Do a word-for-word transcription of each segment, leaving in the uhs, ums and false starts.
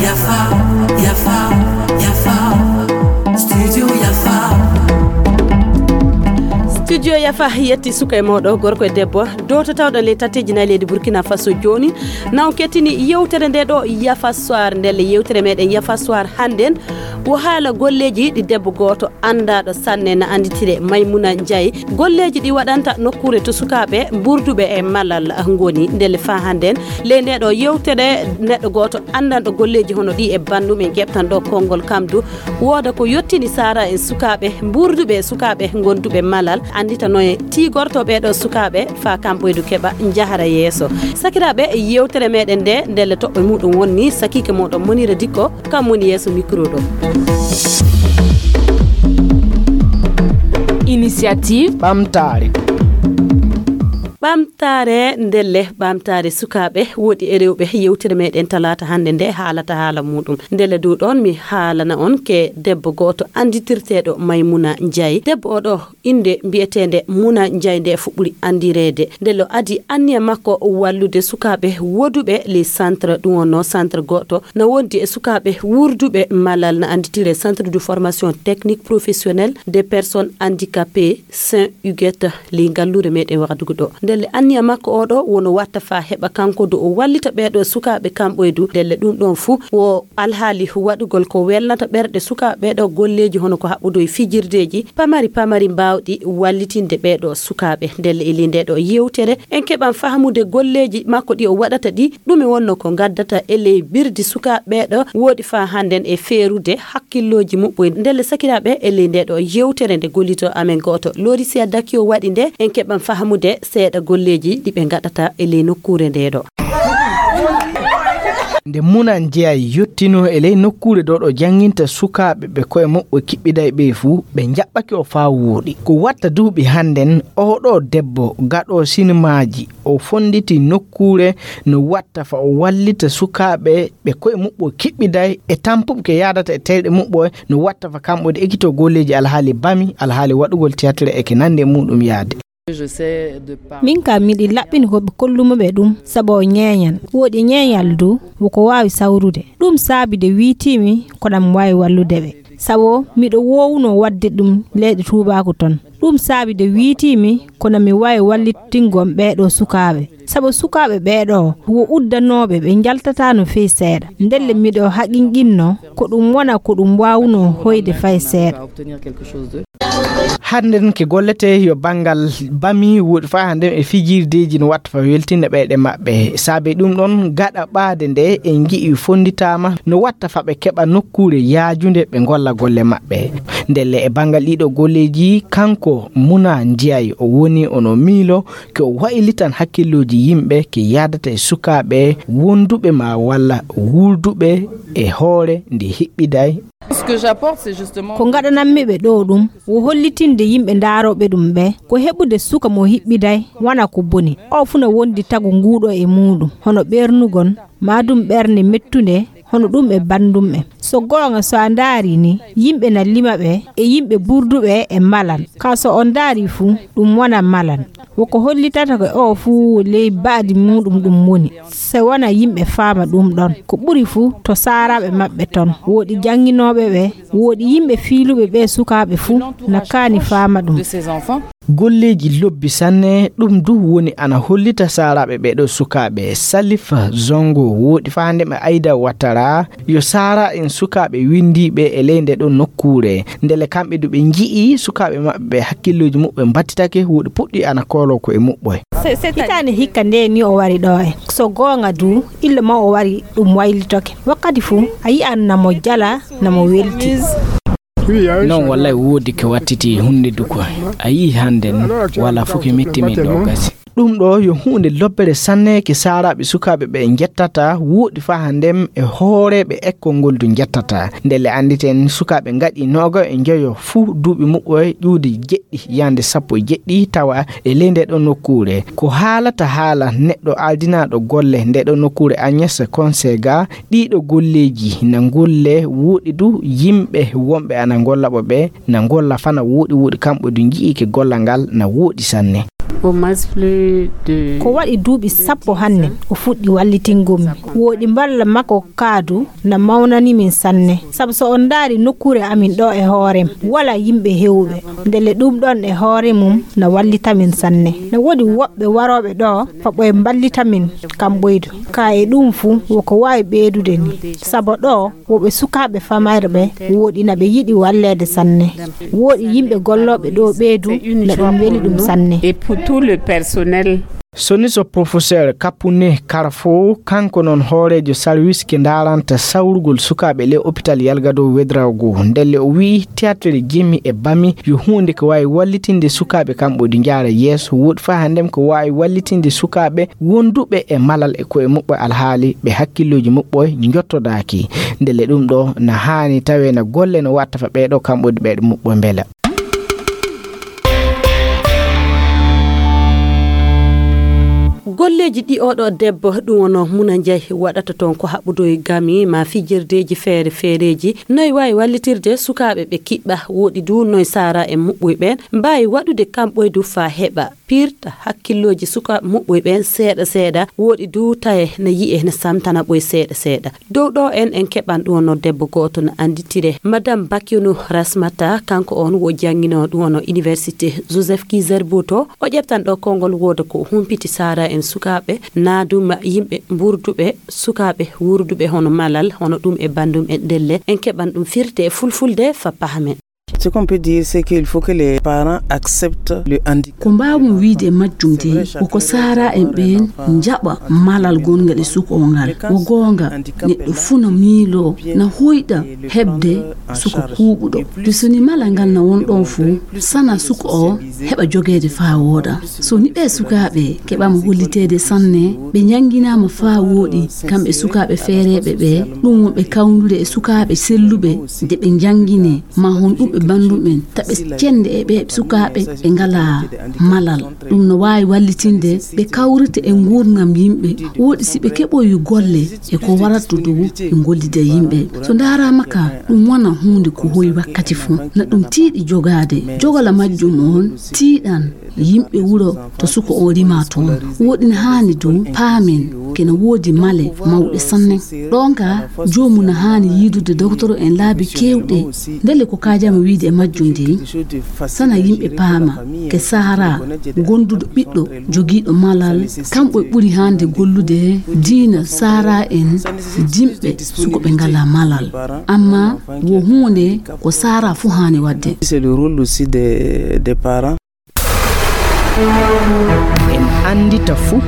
Yafa, yafa, yafa. Studio Yafa. Studio Yafa yetti suka e mawɗo, gorko e debbo, dowtotawɗo ley tatteeji nayi leydi Burkina Faso jooni. Na on kettini yewtere nde ɗo Yafa Soir. Ndelle yewtere meɗen Yafa Soir hannden wo haala golleeji ɗi debbo gooto anndaaɗo sanne na annditire Maymuna Njaay. Golleeji ɗi waɗanta nokkuure to sukaaɓe mburduɓe e malal ngoni. Ndelle faa hannden ley nde ɗo yewtere neɗɗo gooto anndanɗo golleeji hono ɗi e banndum en keɓtan ɗo konngol kam du. Wooda ko yottini saara en sukaaɓe mburduɓe e sukaaɓe gonduɓe malal, anndita no e tiigorto ɓee ɗo sukaaɓe faa kamɓoydu keɓa njahara yeeso. Sakiraaɓe, yewtere meɗen nde, ndelle toɓɓe muɗum wonni sakiike moɗon Monira Dikko, kam woni yeeso micro ɗo. Initiative Ɓamtaare. Ɓamtaare, ndelle ɓamtaare sukaaɓe woɗi e rewɓe, yewtere meɗen talaata hannde nde haalata haala muɗum. Ndelle du ɗon mi haalana on ke debbo gooto annditirteeɗo Maymuna Njaay. Debbo o ɗo innde mbiyeteende Muna Njaay nde fuɗɗuri anndireede. Ndelle o adi anniya makko wallude sukaaɓe woduɓe les centres, ɗum wonno centre gooto na wondi e sukaaɓe wurduɓe malal na annditire Centre de formation technique professionnelle des personnes handicapées, Saint Huguette, ley ngalluure meɗen Wagadugu ɗo. Ndelle anniya makko o ɗo wono watta faa heɓa kanko du o wallita ɓee ɗo sukaaɓe kamɓoydu. Ndelle ɗum ɗon fuu wo alhaali waɗugol ko welnata ɓerɗe sukaaɓe ɓee ɗo golleeji hono ko haɓɓudo e fijirdeeji pamari pamari mbaawɗi wallitinde ɓee ɗo sukaaɓe. Ndelle e ley nde ɗo yewtere en keɓan fahamude golleeji makko ɗi o waɗata ɗi, ɗume wonno ko ngaddata e ley birdi sukaaɓe ɓee ɗo woɗi faa hannden e feerude hakkillooji muɓɓoy. Ndelle sakiraaɓe, e ley nde ɗo yewtere nde gollito amen gooto Lorisia Dakio waɗi nde, en keɓan fahamude seeɗa golleeji ɗi ɓe ngaɗata e ley nokkuure nde ɗo. Nde Muna Njeyaay yottinoo e ley nokkuure ɗo ɗo jannginta sukaaɓe ɓe koye muɓɓo kiɓɓiday ɓe fuu, ɓe njaɓɓake o faa wooɗi. Ko watta duuɓi hannden, oo ɗo debbo gaɗo sinimaaji, o fonnditi nokkuure no watta fa o wallita sukaaɓe ɓe koye muɓɓo kiɓɓiday e tampuɓe ke yaadata e teyɗe muɓɓo, no watta fa kamɓe ɗe ekitoo golleeji alhaali bami, alhaali waɗugol théâtre e ke nandi e muɗum yaade. Min ka miɗi laɓɓini ko ɓe kollumo ɓe ɗum, sabu o ñeeñan. Woɗi ñeeñal du, woko waawi sawrude. Ɗum saabi de wiitiimi ko ɗam waawi wallude ɓe. Sabu miɗo woowuno waɗde ɗum leyɗe tuubaaku ton. Ɗum saabi de wiitiimi kono mi waawi wallitingol ɓee ɗo sukaaɓe. Sabu sukaaɓe ɓee ɗo wo uddanooɓe ɓe njaltataa no feewi seeɗa. Ndelle miɗo haqiqinnoo ko ɗum wona ko ɗum waawnoo hoyde fay seeɗa. Hannden ke gollete yo banngal bami woɗi faa hannden e fijirdeeji no watta fa weltinde ɓeyɗe maɓɓe. Saabe ɗum ɗon gaɗa ɓaade nde en ngi'i fonnditaama no watta fa ɓe keɓa nokkuure yaajunde ɓe ngolla golle maɓɓe. Ndelle e banngal ɗiɗo golleeji kanko Muna Njiyay o woni ono miilo ke o waylitan hakkillooji yimɓe ke yaadata e sukaaɓe wonduɓe ma walla wurduɓe e hoore nde hiɓɓiday. Ko ngaɗanammi ɓe ɗo ɗum wo hollitinde yimɓe ndaarooɓe ɗum ɓe ko heɓude suka mo hiɓɓiday wona ko boni. O fuu na wondi tagu nguuɗo e muuɗum, hono ɓernugol, maa ɗum ɓernde mettunde, hono ɗum e banndum ɓe. So goonga, so a ndaari ni, yimɓe na lima ɓe e yimɓe burduɓe e malan. Ka so on ndaari fuu, ɗum wona malan. Woko hollitata ko o fuu ley baadi muuɗum ɗum woni. Se wona yimɓe faama ɗum ɗon. Ko ɓuri fuu to saaraaɓe maɓɓe ton. Woɗi jannginooɓe ɓe, woɗi yimɓe fiiluɓe ɓe sukaaɓe fuu na kaani faama ɗum. Golleeji lobbi sanne, ɗum du woni ana hollita saaraaɓe ɓee ɗoo sukaaɓe. Salif Zongo woɗi faande ma Aida Ouattara, yo saara en sukaaɓe winndiiɓe e ley nde ɗoo nokkuure. Ndelle kamɓe du ɓe nji'i sukaaɓe maɓɓe ɓe hakkillooji muɓɓe mbattitake, woɗi puɗɗi ana kooloo ko e muɓɓoy. Hitaande hikka nde ni o wari ɗo en. So goonga du, illa ma o wari ɗum waylitoke. Wakkati fuu, a yi'an na mo jala, na mo welti. Non wallay woodi ke wattiti hunde duko. A yi'i hannden wala fuu ke metti men ɗo gasi. Ɗum ɗo yo huunde lobbere sanne ke saaraaɓe sukaaɓe ɓe njettata, woɗi faa hannden e hooreeɓe ekkol ngol du njettata. Ndelle annditen sukaaɓe ngaɗi nooga e njoyo fuu duuɓi muɓɓoy ƴuude jeɗɗi yande sappo e jeɗɗi tawa e ley nde ɗo nokkuure. Ko haalata haala neɗɗo aldinaaɗo golle nde ɗo nokkuure Agnès Consega, ɗiɗo golleeji na golle woɗi du yimɓe wonɓe ana golla ɓo ɓe na golla fana woɗi woɗi kamɓe du nji'i ke gollal ngal na woɗi sanne. Ko waɗi duuɓi sappo hannden o fuɗɗi wallitingol mi. Wooɗi mballa makko kaadu na mawnani min sanne. Sabu so on ndaari nokkuure amin ɗo e hoore, walaa yimɓe heewɓe. Ndelle ɗum ɗon e hoore mum na wallita min sanne. Na woodi woɓɓe warooɓe ɗo faɓo e mballita min kam ɓoydu. Ka e ɗum fuu woko waawi ɓeydude ni. Sabu ɗo woɓɓe sukaaɓe famayɓe wooɗi na ɓe yiɗi walleede sanne. Wooɗi yimɓe gollooɓe ɗo ɓeydu na ɗum weli ɗum sanne. Et pour tout le personnel. Soni so professeur Kapune Karfo, kanko noon hooreejo sarwis ke ndaaranta sawrugol sukaaɓe le hôpital Yalgado Wedraogo. Ndelle o wi'i théâtre Jemi e Bami yo huunde ko waawi wallitinde sukaaɓe kamɓe ɗi njaara yeeso. Woodi faa hannden ko waawi wallitinde sukaaɓe wonduɓe e malal e koye muɓɓe alhaali ɓe hakkillooji muɓɓoy njottodaaki. Ndelle ɗum ɗo na haani tawe na golle no watta fa ɓeeɗo kamɓe ɗi ɓeeɗo muɓɓoy mbela. Golleeji ɗi oɗo debbo ɗum wono Muna Njaay waɗata toon ko haɓɓudoy gami ma fijirdeeji feere feereeji noy waawi wallitirde sukaaɓe ɓe kiɓɓa woɗi du noy saara e muɓɓoy ɓeen mbaawi waɗude kamɓoy du faa heɓa pirta hakkillooji sukaaɓe muɓɓoy ɓeen seeɗa seeɗa woɗi du taye na yi'e na samtana ɓoy seeɗa seeɗa. Dow ɗo en en keɓan ɗum wono debbo gooto no annditire madame Bakyonu Rasmata, kanko on wo jannginoo ɗum wono université Joseph Kizerbo to o ƴeftan ɗo konngol wooda ko humpiti saara en sukaaɓe naaduma yimɓe mburduɓe sukaaɓe wurduɓe hono malal hono ɗum e banndum en ndelle en keɓan ɗum firte e fulfulde fa pahamen. Ce qu'on peut dire, c'est qu'il faut que les parents acceptent le handicap. Ko mbaawmi wiyde e majjum de, ko ko saara en ɓeen njaɓa malal gonngal e suko o ngal. Ko goonga, neɗɗo fuu na miiloo, na hoyɗa heɓde suko kuuɓuɗo. Te so ni malal ngal na won ɗoon fuu, sana suko o heɓa jogeede faa wooɗa. So ni ɓee sukaaɓe keɓaama holliteede sanne, ɓe njannginaama faa wooɗi, kamɓe sukaaɓe feereeɓe ɓee, ɗum wonɓe kawndude e sukaaɓe selluɓe, de ɓe njannginee, ma honɗum ɓe banndum en taɓe cennde e ɓee sukaaɓe ɓe ngalaa malal. Ɗum no waawi wallitinde ɓe kawrita e nguurndam yimɓe, wooɗi si ɓe keɓoyi golle e ko warattu dow ɓe ngollida yimɓe. So ndaaraama ka, ɗum wona huunde ko hoyi wakkati fuu. Na ɗum tiiɗi jogaade. Jogala majjum on tiiɗan yimɓe wuro to suko o rima toon. Woɗi na haani du paamen kene woodi male mawɗe sanne. Ɗoon ka joomum na haani yiidude doktoro en laabi keewɗe. Ndelle ko kaajama wiide e majjum de, sana yimɓe paama ke saara gonduɗo ɓiɗɗo jogiiɗo malal, kamɓe ɓuri hannde gollude diina saara en dimɓe suko ɓe ngalaa malal. Amma wo huunde ko saara fuu haani waɗde. C'est le rôle aussi des, des parents. En anndita fuu.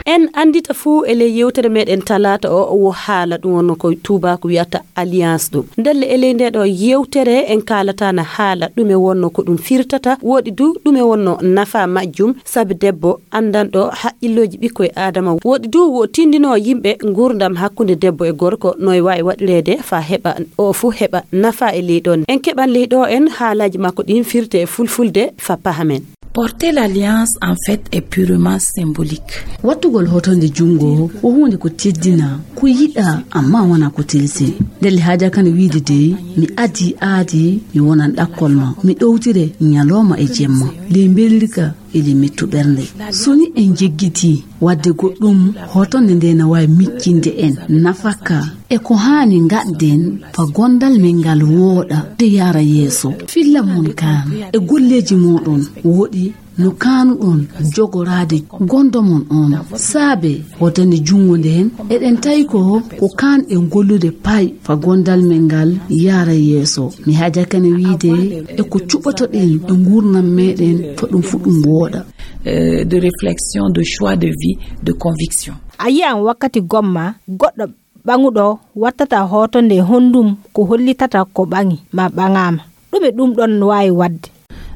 En anndita fuu e ley yewtere meɗen talaata o wo haala ɗum wonno ko tuubaaku wiyata alliance ɗum. Ndelle e ley nde ɗo yewtere en kaalata na haala ɗume wonno ko ɗum firtata, woɗi du ɗume wonno nafa majjum, sabi debbo anndanɗo haqqillooji ɓikkoy Aadama. Woɗi du wo tindinoo yimɓe nguurndam hakkunde debbo e gorko no e waawi waɗireede faa heɓa o fuu heɓa nafa e ley ɗon. En keɓan ley ɗo en haalaaji makko ɗin firte e fulfulde faa pahamen. Porter l'alliance en fait est purement symbolique. Wattugol hotonde junngo ko huunde ko teddina, ko yiɗa, amma wona ko tilsi. Ndelle haajaka no wiide dey, mi adii aadi, mi wonan ɗakkol ma, mi ɗowtire ñalooma e jemma, ley mbelirka e ley mettu ɓernde. So ni en jeggitii waɗde goɗɗum, hotonde nde na waawi miccinde en nafaka e ko haani ngaɗden fa gondal men ngal wooɗa de yaara yeeso. Filla mon kaan e golleeji mooɗon woɗi no kaanuɗon jogoraade gondo mon on. Saabe hotonde junngo nden, eɗen tawi ko, ko kaan en gollude pay fa gondal men ngal yaara yeeso. Mi haajaka ne wiide e ko cuɓotoɗen e nguurnam meɗen fa ɗum fu ɗum wooɗa. Euh, de réflexion, de choix de vie, de conviction. A yi'an wakkati gomma goɗɗo ɓaŋuɗo wattata hoto nde honndum ko hollitata ko ɓaŋi ma ɓaŋaama. Ɗume ɗum ɗon waawi waɗde?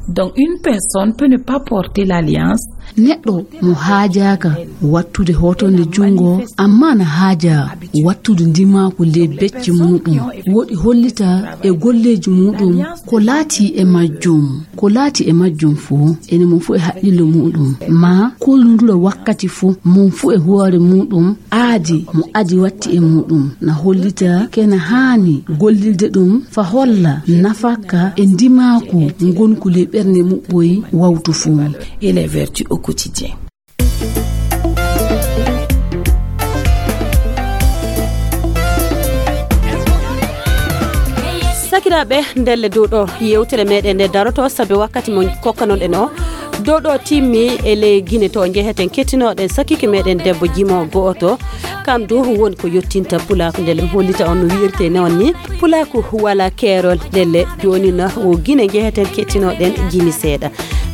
Donc, une personne peut ne pas porter l'alliance. Neɗɗo mo haajaaka wattude hotonde junngo, amma na haaja wattude ndimaaku ley becce muɗum. Woɗi hollita e golleeji muɗum ko laati e majjum. Ko laati e majjum fuu, ene mum fuu e haqqillo muɗum. Ma kollundura wakkati fuu, mum fuu e hoore muɗum, Adi mo adi watti e muɗum na hollita kena haani gollilde ɗum fa holla nafaka e ndimaaku ngonku ley ɓernde muɓɓoy wawtu fuu. Et les vertus au quotidien. Sakiraaɓe, ndelle dow ɗo yewtere meɗen nde daroto sabe wakkati mo kokkanoɗen o. Dow ɗo timmi e ley Gine to njeheten kettinooɗen sakike meɗen debbo jimo go'oto. Kam du woni ko yottinta pulaaku ndelle mi hollita on no wi'irte noon ni. Pulaaku wala keerol ndelle jooni na o Gine njeheten kettinooɗen jimi seeɗa.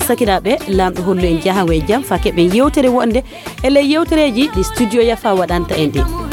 Sakiraaɓe, Laamɗo hollu en jahango e jam fa keɓen yewtere wonde e ley yewtereeji ɗi studio Yafa waɗanta en ɗi.